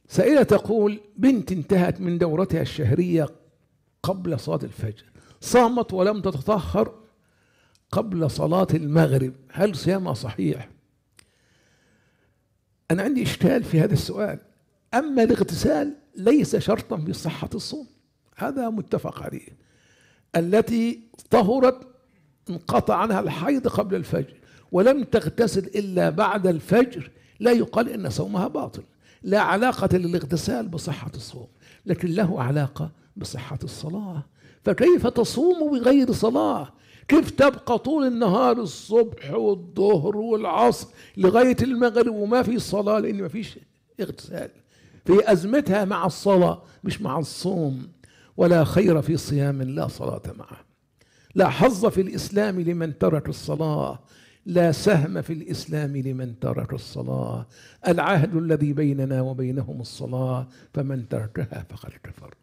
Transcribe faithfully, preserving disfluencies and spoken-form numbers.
سائلة تقول: بنت انتهت من دورتها الشهرية قبل صلاة الفجر، صامت ولم تتطهر قبل صلاة المغرب، هل صيامها صحيح؟ أنا عندي إشكال في هذا السؤال. أما الاغتسال ليس شرطا في صحة الصوم، هذا متفق عليه. التي طهرت انقطع عنها الحيض قبل الفجر ولم تغتسل إلا بعد الفجر، لا يقال إن صومها باطل. لا علاقة للاغتسال بصحة الصوم، لكن له علاقة بصحة الصلاة. فكيف تصوم بغير صلاة؟ كيف تبقى طول النهار الصبح والظهر والعصر لغاية المغرب وما في صلاة؟ لأن ما فيش اغتسال. في أزمتها مع الصلاة مش مع الصوم. ولا خير في صيام لا صلاة معه. لا حظ في الإسلام لمن ترك الصلاة، لا سهم في الإسلام لمن ترك الصلاة. العهد الذي بيننا وبينهم الصلاة، فمن تركها فقد كفر.